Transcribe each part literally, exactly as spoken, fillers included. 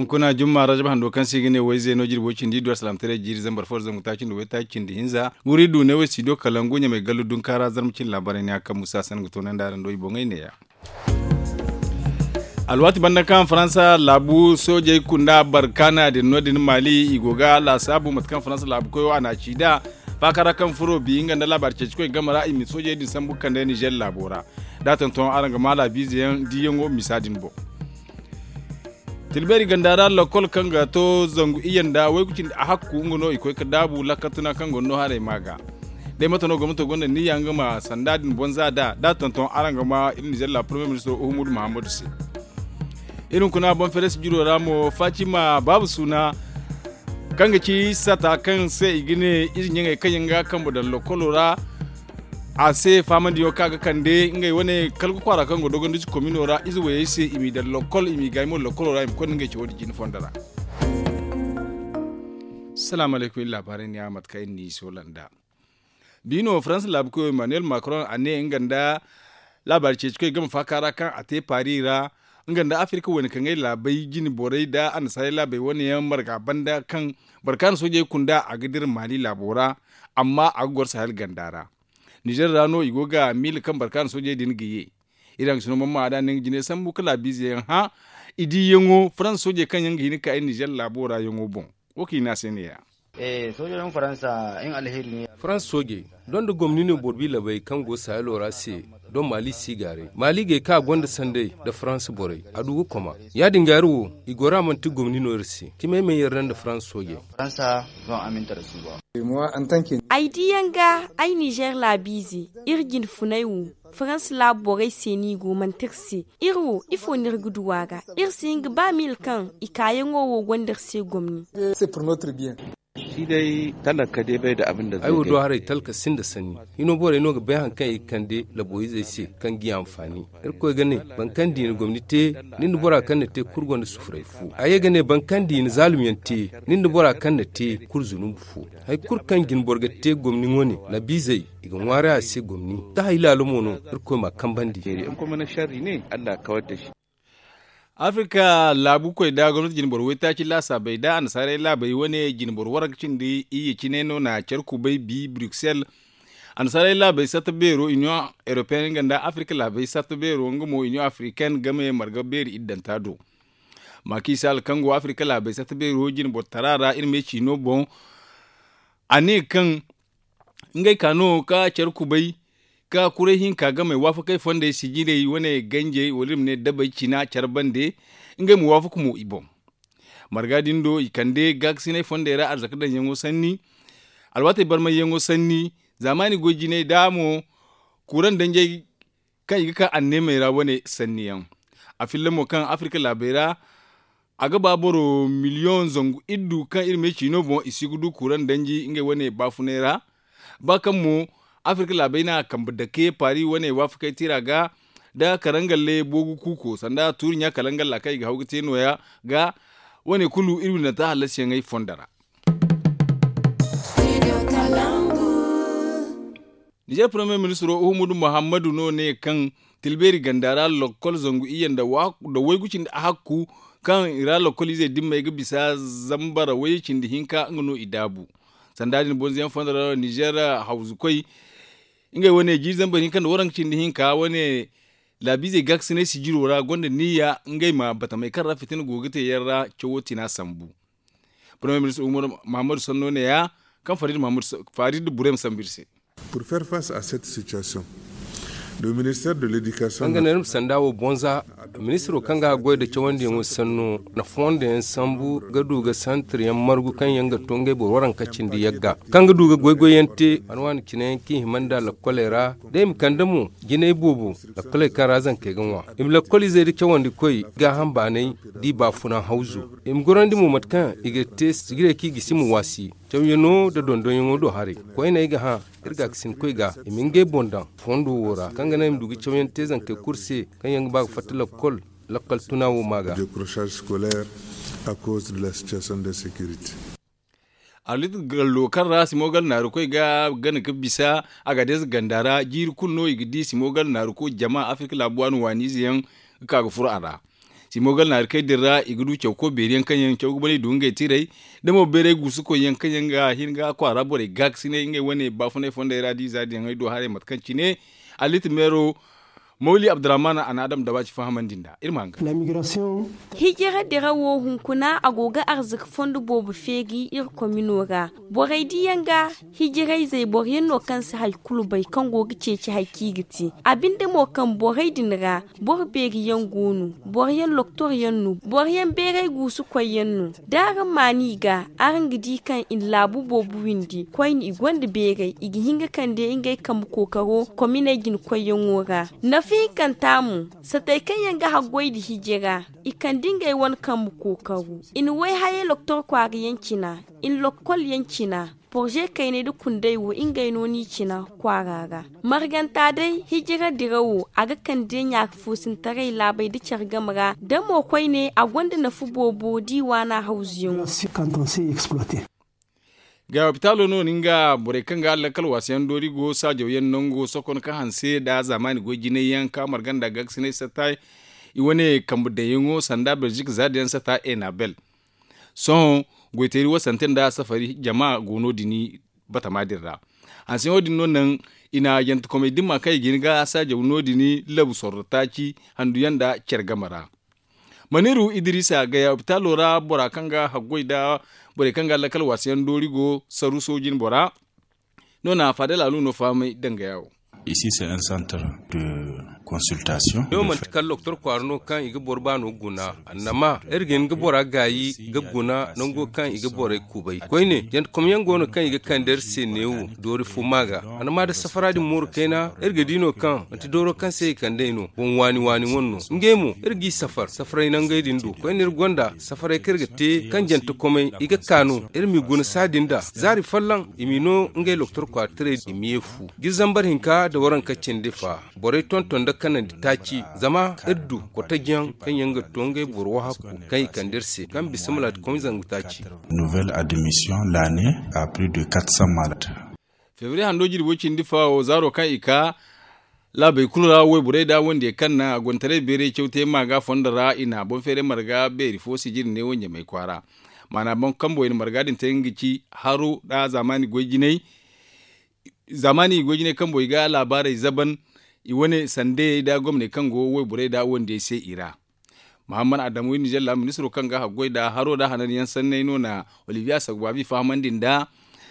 Kuna jumma rajab hando kaŋ se i ga ne wayze no jirbo cindi iddu alsalaamataray jiiri zambar fo da zangu taaci nda waytaaci cindi hinza, guri du ne way studio kalangu ɲamay gallu dunkaara zarma cindi laabaray ne a kaŋ musa san ga toonandi araŋ do i boŋey neeya. Alwaati banda kaŋ faransa laabu soojey kunda barkaana din no- din maali i go ga laasaabu mate kaŋ faransa laabu koyo a na a ci nd'a faaka ra kaŋ furo bi nga nda laabaari ceeci koy game ra i ma soojey din sambu ga kande nizer laabo ra. Da a tonton araŋ ga ma laabiize yaŋ diiyaŋo misa din boŋ. Tilbeeri ganda ra lakkol kaŋ ga to zangu iyye nda waygu cindi a hakku nga no i koy ga daabu lakkatuna kaŋ gonda no haray ma ga. Day mate no gomnato gonda niyya nga ma sanda din boŋ za da da a tonton araŋ ga ma iri nizer la pormiye ministiro uhumudu muhammadu se. Iri hunkuna boŋ feres jiro ra mo fatima baabu suuna kaŋ ga ci sata kaŋ se i ga ne ize ɲaŋey kaŋ yaŋ ga kambe daŋ lakkolo ra. A se faamandiyaŋo kaŋ a ga kande ngey wane kala ga kwaara kaŋ go dogondize komino ra ize wayey se i m'i daŋ lakkol i m'i gaay mo lakkolo ra i ma koy nda ngey cawo din jine fondo ra. Salaamu alaykum iri laabaarey ne a mate kaŋ iri n'i soola nd'a. Bi no faransa laabu koyo emmanuel macron a ne nga nda laabaari ceeci koy game faaka ra kaŋ a te paari ra nga nda afirka wane kaŋ ay laabey jine borey nda annasaarey laabey wane yaŋ marga banda kaŋ barkaana soojey kunda a ga dira maali laabo ra. Amma a ga goro sahel ganda ra nizer ra no i go ga miila kaŋ barkaana soojey din ga ye. Iri haŋ ga si no mamma a da ni nga jine sambu ka laabiize yaŋ hã i diiyaŋo faransa soojey kaŋ yaŋ ga hin ga ka iri nizer laabo ra yaŋo boŋ. Wo kaŋ i ne a se neeya. Soojey din faransa nga alheeri no ya. Faransa soojey doŋ nda gomni no boro bi labey kaŋ go sahelo ra se doŋ maali si gaaray maali gay kaŋ a gonda sanday nda faransa borey a du ga koma. Ya- din ga iri wo i goro a manti gomni no iri se cimay ma iri ra nda faransa soojey. Ay diiyaŋ ga ay nizer laabiize iri jinfunay wo faransa laabu borey se no i go manti iri se. Iri wo ifo no iri ga du a ga? Iri si hin ga ba miila kaŋ i kaayaŋo wo gonda iri se gomni. Ay wo do haray talka sinda sanni. Hino borey no ga bay hari kaŋ i ga kande laboyizey se kaŋ ga i anfaani. Irkoy ga ne boro kaŋ di na gomni te nin da bora kaŋ na te kulu gonda sufuray fo. A ye ga ne boro kaŋ di na zaalumyaŋ te nin da bora kaŋ na te kulu zunubu fo. Hari kulu kaŋ jine boro ga te gomni wane labiizey i ga ŋwaaray a se gomni. Da hari laalo mo no irkoy m'a kambandi. Afirka laabu koy da gomnati jinboro waytaaci laasaabey da annasaarey laabey wane jinboro waranka cindi iyye cine no na care kubay bi bruksel. Annasaarey laabey satta beero iniyoŋ europeyen nga nda afirka laabey satta beero nga mo iniyoŋ afirken game marga beeri iddanta do. Maaki sal kaŋ go afirka laabey satta beero jinboro tara ra iri me ciino boŋ. A ne kaŋ ngey ka no ka care kubay ka kuray hinka game waafakey fondey sijirey wane ganjey wala iri ma ne dabey cina care bande. Ngey ma waafaka mo i boŋ. Marga din do i kande gaakasinay fondey ra arzaka daŋyaŋo sanni. Alwaatey barmayyaŋo sanni zaamaani goy jinay da mo kuuraŋ danjey kaŋ i ga ka anneemey ra wane sanniyaŋ. A filla mo kaŋ afirka laabey ra a ga ba boro miliyoŋ zangu iddu kaŋ iri me ciino boŋ i si ga du kuuraŋ danji ngey wane baafunay ra. Ba kaŋ mo afirka laabey na kambe dake paari wane waafakey tira ga da karangalle boogu kuuko sanda tuuri ɲa karangal ra kaŋ i ga haw ga te nooya ga wane kulu iri windanta hallasiyaŋey fondo ra. Nizer premier ministro uhumudu muhammadu no ne kaŋ tilbeeri ganda ra lakkol zangu iyye nda waygu cindi a hakku kaŋ i ra lakkol izey dimmey ga bisa zambara wayye cindi hinka nga no i daabu. Sanda din bonzoyaŋ fondo ra nizer hawzukoy ngey wane jiiri zambar hinka nda waranka cindi hinka wane laabiizey gaakasinay sijiro ra gonda niyya ngey ma batamey kaŋ ra fitina go ga te yaŋ ra cawo tina sambu. Premier ministre umar muhammadu sanno ne ya kaŋ farid burem sambu iri se. Pour faire face à cette situation le ministère de l'éducation kaŋ ga naŋ iri ma sanda wo bonza ministiro kaŋ ga a goy nda cawandiyaŋo sanno na fondo yaŋ sambu ga du ga santir yaŋ margu kaŋ yaŋ ga to ngey boro waranka cindi yagga kaŋ ga du ga goy-goy yaŋ te wane wane cine yaŋ kaŋ i hima nda lakkoley ra da i ma kande mo jinay boobo lakkoley kaŋ ra zankey ga ŋwa i ma lakkol izey nda cawandi koy gaaham baanay da i baafuna hawzu i ma gorandi mo mate kaŋ i ga te sijirey kaŋ i gisi ma waasi cawyaŋo nda dondonyaŋo do haray koyne ay ga hã iri gaakasinkoy ga i ma ngey boŋ daŋ fondo wo ra kaŋ ga naŋ i ma du ga cawyaŋ te zankey kulu se kaŋ yaŋ ga ba ga fatta lakkol lakkal tuna wo ma ga. Arlit gallo kaŋ ra simogal naarukoy ga gana ga bisa a ga deeza ganda ra jiiri kulu no i ga di simogal naaruko jama afirka laabu waani waani ize yaŋ ga ka ga furo a ra. Dimogal naarikey din ra i ga du cawko beeri yaŋ kaŋ yaŋ caw ga banay du ngey tiray da mo bayray guusukoy yaŋ kaŋ yaŋ ga hin ga kwaara borey gaakasinay ngey wane baafunay fondey ra da i za diyaŋey do haray mate kaŋ cine. Aliti meero mawli abdurrahman a na adam daba ci fahamandi nda iri ma haŋ ga. Hijira dira wo hunkuna a go ga arzaka fondo boobo feeri iri komino ra. Borey diyaŋ ga hijirayzey boro yaŋ no kaŋ si hari kulu bay kaŋ go ga ceeci hari kaŋ i ga te. A binde mo kaŋ borey din ra boro beeri yaŋ go no, boro yaŋ loktor yaŋ no, boro yaŋ beeray guusukoy yaŋ no. Da araŋ maan i ga, araŋ ga di kaŋ i na laabu boobo windi koyne i gonda beeray i ga hin ga kande ngey kambe kookaro kominey jina koyyaŋo ra. Nafa hinkanta mo, satey kaŋ yaŋ ga haggoy nda hijira i kande ngey wane kambe kookaro. I na way-hayey loktor kwaara yaŋ cina, i na lokkol yaŋ cina. Porze kaynay nda kundey wo ngey no n'i cina kwaara ra. Marganta day hijira dira wo a ga kande ɲaaka foosintaray laabey nda care game ra da mo koyne a gonda nafa boobo da i waana hawzuyaŋo. Ga hopitaalo no ni nga borey kaŋ ga lakkal waasa yaŋ doori go saajaw yaŋ nango sokon ka hanse nda zaamaani goy jinay yaŋ ka marga nda gaakasinay satta i wane kambe daŋyaŋo sanda belzik za da yaŋ satta enabel. Sohõ goyteeri wasante nda safari jama go no- din batama din ra. Hanseyaŋo din no naŋ i na yantakomey dimma kaŋ i ga hin ga saajaw no- din labu sorro taaci handuyaŋ nda care game ra. Maniru idirisa gaya hopitaalo ra bora kaŋ ga haggoy nda borey kaŋ ga lakkal waasayaŋ doori go saru soojin bora. No na faadal alu no fahamay dangaya wo. Isi se un centre de consultation. Yo manti kala doktor kwaara no kaŋ i ga boro baano guna annama iri ga hin ga bora gaayi ga guna nango kaŋ i ga borey kubay koyne yantakomyaŋ go no kaŋ i ga kande iri se neewo doori fo ma ga. Annama da safara din mooru kayna iri ga di no kaŋ manti dooro kaŋ se i kand'ey no boŋ waani waani wane no ngey mo iri g'i safar safaray nangey din do koyne iri gonda safaray kaŋ iri ga te kaŋ jantakomey i ga ka no iri m'i guna saadin da zaari folloŋ i m'i no ngey doktor kwaara tirey i ma ye fu. Jiri zambar hinka nda waranka cindi fa borey tonton nda kanandi taaci zama iri du kotajyaŋ kaŋ yaŋ ga to ngey boro wahakku kaŋ i kande iri se kaŋ bisa malaati komi zangu taaci. Nouvelle admission l'année à plus de quatre cents malades. Febriye hando jirbo cindi fa wo zaaro kaŋ i ka laabey kulu ra wayborey nda wandiyey kaŋ na a gonda taray beeray caw te ma ga fondo ra i na boŋ feeray marga beeri fo sijiri neewo ɲamay kwaara. Maana boŋ kambo i na marga din te nga ga ci haro nda zaamaani goy jinay zaamaani i goy jinay kambo i ga laabaarey zaban i wane sandeyey nda gomney kaŋ go wayborey nda wandiyey se i ra. Mahammad adamu wi nizeer ra ministiro kaŋ ga haggoy nda haro nda hananyaŋ sanney no na oliviya sagbaabi fahamandi nda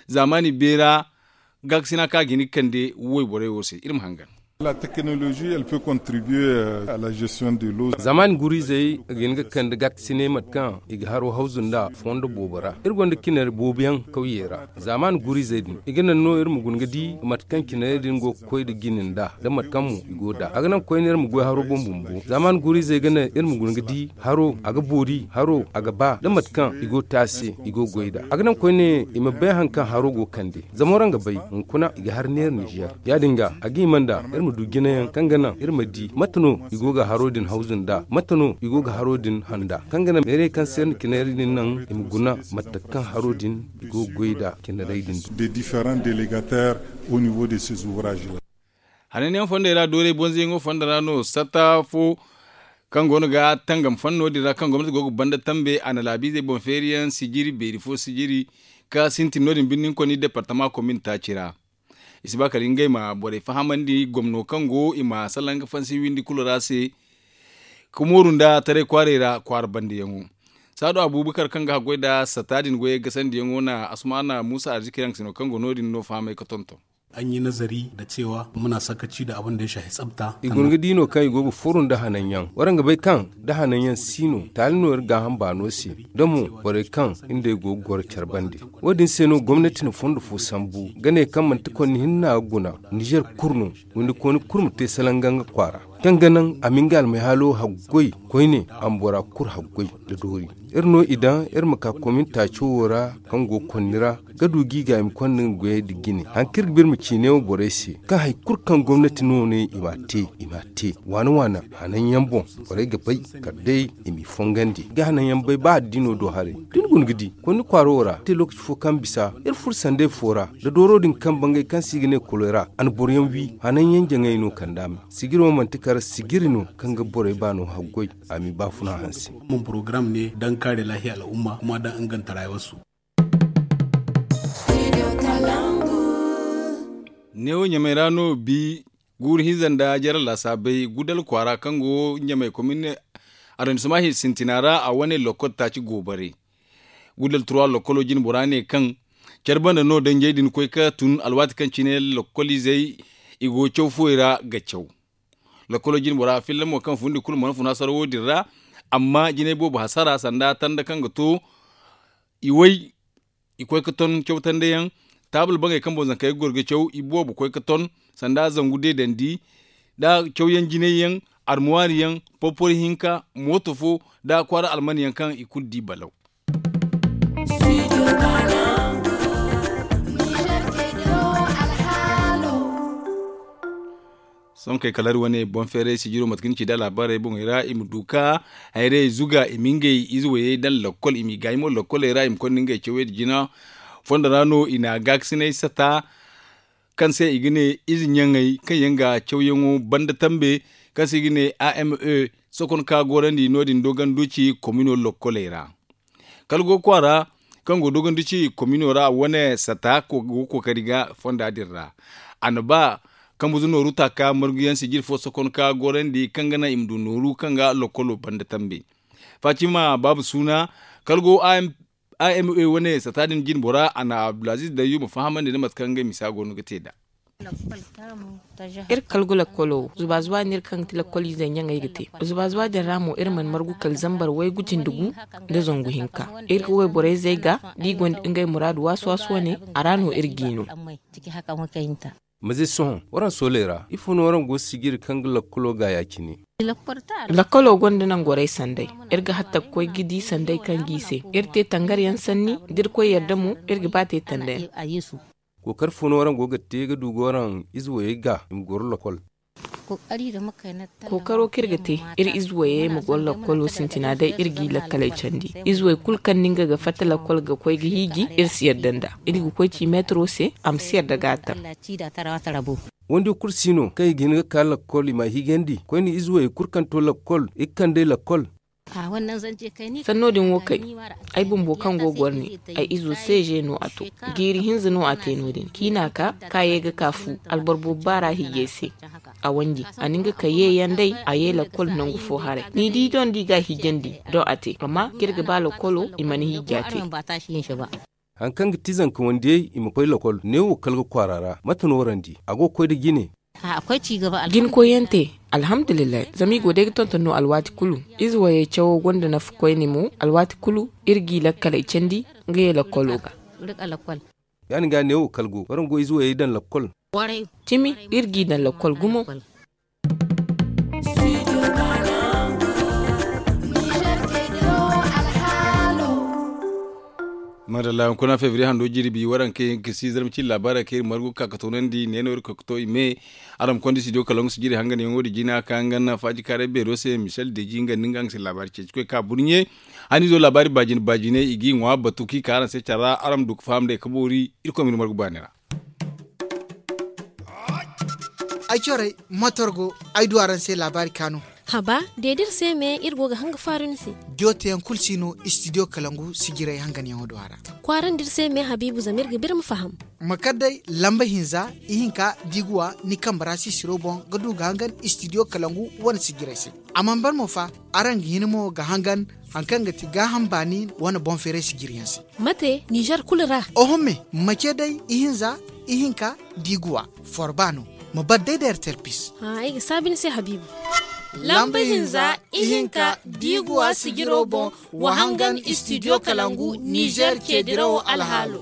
zaamaani beera gaakasina kaŋ a ga hin ga kande wayborey wo se iri ma hangan. La technologie elle peut contribuer à la gestion de l'eau. Zaamaani guriizey ga hin ga kande gaakasiney mate kaŋ i ga haro hawzu nda fondo boobo ra iri gonda cinari boobo yaŋ kawyey ra. Zaamaani guriizey din i ga naŋ no iri ma guna ga di mate kaŋ cinarey din go ga koy nda jine nda da mate kaŋ mo i go nd'a a ga naŋ koyne iri ma goy haro boŋ bumbo zaamaani guriizey ga naŋ iri ma guna ga di haro a ga boori haro a ga ba da mate kaŋ i go ga te a se i go ga goy nd'a a ga naŋ koyne i ma bay hari kaŋ haro go ga kande zama waraŋ ga bay hunkuna i ga hari neera nizeer ya- din ga a ga hima nda iri ma du jinayaŋ kaŋ ga naŋ iri ma di mate no i go ga haro din hawzu nd'a mate no i go ga haro din handa kaŋ ga naŋ meerey kaŋ se iri na cinarey din naŋ i ma guna mate kaŋ haro din i go ga goy nd'a cinarey din do. Des différents délégataires au niveau de ces ouvrages là. Hananyaŋ fondey ra doorey bonzoyaŋo fondo ra no satta fo kaŋ go no ga tangam fanno din ra kaŋ gomnati go ga banda tambe a na laabiizey boŋ feeriyaŋ sijiri beeri fo sijiri ka sintin no- din birni ni koni departama komin taaci ra. I si ba kala ngey ma borey fahamandi gomno kaŋ go i ma salaŋ ga fansi windi kulu ra se ka mooru nda taray kwaarey ra kwaara bandiyaŋo. Saadu abubakar kaŋ ga haggoy nda satta din goyey gasandiyaŋo na asumana muusa arziki yaŋ ga sino kaŋ go no- din no fahamay ga tonton. An yi nazari da cewa muna sakaci da abin da ya shafi tsafta. I guna ga di no kaŋ i go ga furo nda hananyaŋ waraŋ ga bay kaŋ da hananyaŋ si no taali no iri gaaham baano se da mo borey kaŋ ngey go ga goro care bande. Wo- din se no gomnati na fondo fo sambu ga ne kaŋ manti konni hinne no a ga guna nizeer kulu no windi kooni kulu ma te salanga nga kwaara kaŋ ga naŋ a ma nga almayhaalo haggoy koyne a ma bora kulu haggoy nda doori. Iri no i daŋ iri ma ka komin taaco wo ra kaŋ go konni ra ga du ga i ga i ma konda nga goyey nda jine hari kaŋ iri ga ba iri ma ci neewo borey se kaŋ hari kulu kaŋ gomnati no ne i m'a te i m'a te waana waana hananyaŋ boŋ borey ga bay kala day i m'i fongandi ga hananyaŋ bay ba addiino do haray da ni guna ga di konni kwaaro wo ra te lookaci fo kaŋ bisa iri furo sandey fo ra nda dooro din kaŋ bangay kaŋ se i ga ne kolera a na boroyaŋ wi hananyaŋ jaŋay no kand'a me sijiri wo manti kala Sijiri no kaŋ ga borey baano haggoy a m'i baafuna hanse. Porogaram ne daŋ kaare laahiya al'umma kuma daŋ inganta rayuwarsu. Neewo ɲamey ra no bi guuru hinza nda jare laasaabey gudal kwaara kaŋ go ɲamey komin arrondissement sintina ra a wane lokkol taaci goobare. Gudal turwa lokkolo jine bora ne kaŋ care banda no danjey din koy ka tun alwaati kaŋ cine lokkoliizey i go caw fuwey ra ga caw. Lokkolo jine bora filla mo kaŋ fundi kulu mana funa sarawo din ra. Amma jinay boobo hasara sanda tanda kaŋ ga to i way i koy ga ton cawtandeyaŋ. Taabul baŋey kaŋ boŋ zankey ga goro ga caw i boobo koy ga ton sanda zangu deedandi nda cawyaŋ jinayyaŋ, armuwaariyaŋ, porporo hinka, mooto fo nda kwaara almanyaŋ kaŋ i kulu di balaw. Sohõ kay kala iri wane boŋ feeray sijiro mate kaŋ ni ci da laabaarey boŋey ra i ma du ka hayrey zuga i ma ngey ize wayey daŋ lakkol i m'i gaayi mo lakkoley ra i ma konda ngey cawey nda jina. Fondo ra no i na gaakasinay sata kaŋ se i ga ne ize ɲaŋey kaŋ yaŋ ga cawyaŋo banda tambe kaŋ se i ga ne a m e sokonka gorandi no- din doganduci komino lakkoley ra. Kala go kwaara kaŋ go dogondu ci komino ra wane sata go kookari ga fonda din ra. A na ba kambuzu nooru taaka marguyaŋ sijir fo sokon ka gorandi kaŋ ga naŋ i ma du nooru kaŋ ga lokolo banda tambe. Fatima baabu suuna kala go a m a wane sata din jine bora a na abdulaziz dayyuma fahamandi nda mate kaŋ ngey misa go no ga te nd'a. Iri ga kala ga lakkolo wo zuba zuba no iri kaŋ ga ti lakkoliizey ɲaŋey ga te. Zuba zuba din ra mo iri mana margu kala zambar waygu cindi gu nda zangu hinka. Iri ga wayborey zay ga da i gonda ngey muraadu waasu waasu wane a ra no iri g'i no. Maze sohõ waraŋ sooley ra ifo no waraŋ go sijiri kaŋ ga lakkolo ga ya- cine? Lakkolo gonda nangorey sanday. Iri ga hatta ga koy ga di sanday kaŋ g'i se. Iri te tangaryaŋ sanni da iri koy yadda mo iri ga ba te tandayaŋ. Kookari fo no araŋ go ga te ga du ga waraŋ ize wayey ga i ma goro lakkol? Kookaro kaŋ iri ga te iri ize wayey ma goro lakkolo sintina day iri g'i lakkaley candi. Ize way kulu kaŋ no nga ga fatta lakkol ga koy ga hiiji iri si yadda nd'a. Iri ga koy ci meetaro se a ma si yadda ga a taŋ. Wandi kulu si no kaŋ i ga hin ga ka lakkol i m'a hiijandi koyne ize wayey kulu kaŋ to lakkol i ga kand'ey lakkol. Sanno din wo kay ay bumbo kaŋ go ga war ne ay izo se ze no a to. Jiiri hinza no a te no- din kaŋ i n'a ka ka ye ga ka fu alboro boobo baara hiijay se. A wanji a na nga ka ye yaŋ day a ye lakkol nangu fo haray ni di doŋ da i ga a hiijandi doŋ a te amma kaŋ iri ga ba lakkolo i mana hiiji a te. Hari kaŋ ga ti zanka wandiyey i ma koy lakkol neewo kala ga kwaara ra mate no warandi a go ga koy nda jine? Jine koyyaŋ te. Alhamdulillahi zama i go day ga tonton no alwaati kulu. Ize wayey cawo gonda nafa koyne mo alwaati kulu iri g'i lakkaley candi. Nga ye lakkolo ga. Ya- din ga neewo kala go waraŋ go ize wayey daŋ lakkol? Cimi iri g'i daŋ lakkol gumo. Madalla hunkuna febriye hando jirbi waranka yaŋ ga si zarma cine laabaarey kaŋ iri margu ga ka ga toonandi ne no iri koy ga to i me. Araŋ ma konda studio kalaŋ ga sijiri hanganyaŋo din jina ka hangan faaji kaaray beero se michel deji nga nda nga nga se laabaari ceeci koy ka burɲe. Hanizo laabaari baajine baajine i g'i ŋwa batu kaŋ i ka araŋ se care ra araŋ ma du ga faham day ga boori. Irkoy ma iri margu baani ra. Ay corey motor go ay du araŋ se laabaari kaanu. Haba de da iri se me iri go ga hanga faaru ni se. Jooteyaŋ kulu si no istidiyo kalangu sijirey hanganyaŋo do a ra. Kwaarandi iri se me habiibu zama iri ga ba iri ma faham. Ma kar day lamba hinza ihinka diiguwa ni kambe ra sisiro boŋ ga du ga hangan istidiyo kalangu wane sijirey se. A mana ban mo fa araŋ ga hin mo ga hangan hari kaŋ ga ti gaaham baani wane boŋ feeray sijiriyaŋ se. Mate nizer kulu ra? Oho me ma ce day ihinza ihinka diiguwa forba no. Ma bar day da ertel pis. Ay ga saabi ni se habiibu. Lamba hinza ihinka diiguwa sijiro boŋ wa hangan istidiyo kalangu nizer ceedirawo alhaalo.